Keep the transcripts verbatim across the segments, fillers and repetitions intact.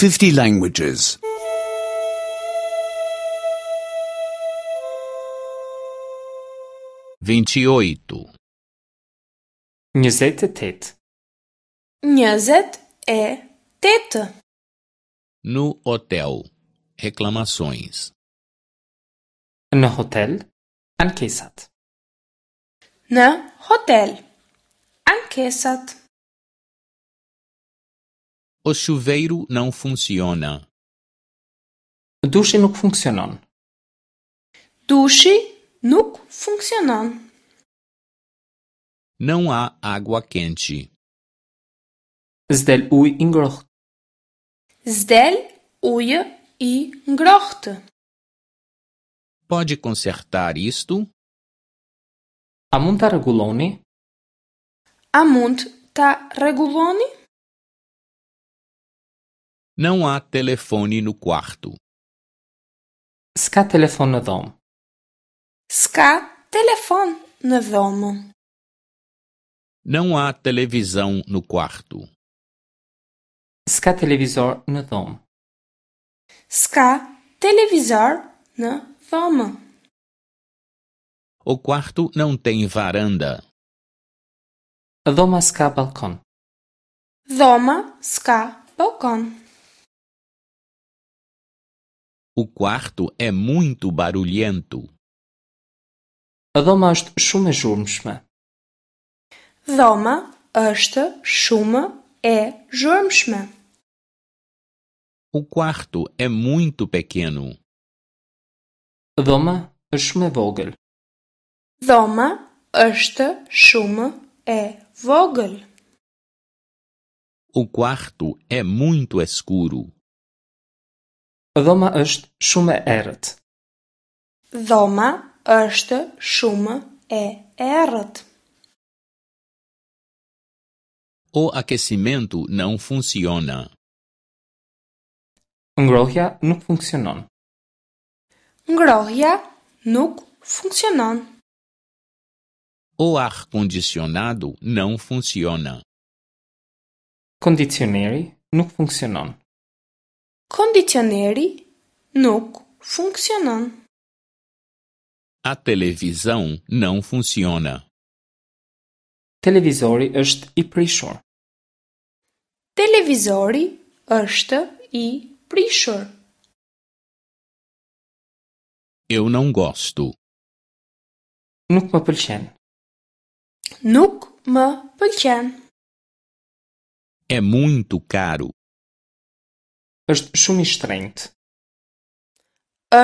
fifty languages. Vinte e oito, Njëzet e tetë. Njëzet e tetë. No hotel. Reclamações. Në hotel, ankesat. Në hotel. Ankesat. O chuveiro não funciona. Dushi nuk funksionon. Dushi nuk funksionon. Não há água quente. S'del ujë i ngrohtë. S'del ujë i ngrohtë. Pode consertar isto? A mund ta rregulloni? A mund ta rregulloni? Não há telefone no quarto. S'ka telefon në dhomë. S'ka telefon në dhomë. Não há televisão no quarto. S'ka televizor në dhomë. S'ka televizor në dhomë. O quarto não tem varanda. Dhoma s'ka ballkon. Dhoma s'ka ballkon. O quarto é muito barulhento. Dhoma është shumë e zhurmshme. Dhoma është shumë e zhurmshme. O quarto é muito pequeno. Dhoma është shumë e vogël. Dhoma është shumë e vogël. O quarto é muito escuro. Dhoma është shumë e errët. Dhoma është shumë e errët. O aquecimento não funciona. Ngrohja nuk funksionon. Ngrohja nuk funksionon. O ar-condicionado não funciona. Kondicioneri nuk funksionon. Kondicioneri nuk funksionon. A televisão não funciona. Televizori është i prishur. Televizori është i prishur. Eu não gosto. Nuk më pëlqen. Nuk më pëlqen. É muito caro. Është shumë i shtrenjtë.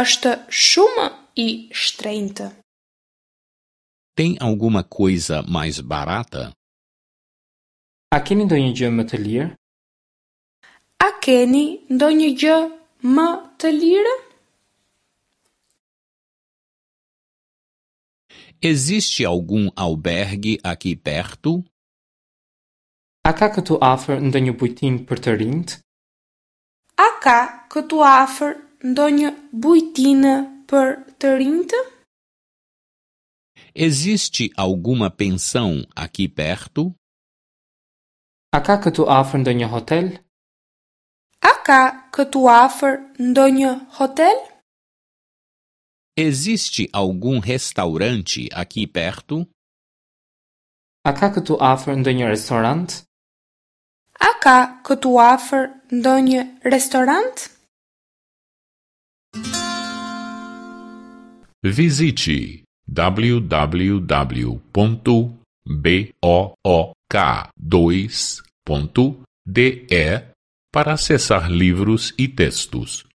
Është shumë i shtrenjtë. Tem alguma coisa mais barata? A keni ndonjë gjë më të lirë? A keni ndonjë gjë më të lirë? Existe algum albergue aqui perto? A ka këtu afër ndonjë bujtinë për të rinjt? A ka këtu afër ndonjë bujtinë për të rinjtë? Existe alguma pensão aqui perto? A ka këtu afër ndonjë hotel? A ka këtu afër ndonjë hotel? Existe algum restaurante aqui perto? A ka këtu afër ndonjë restorant? A ka këtu afër ndonjë restorant? Visite w w w ponto b o o k dois ponto d e para acessar livros e textos.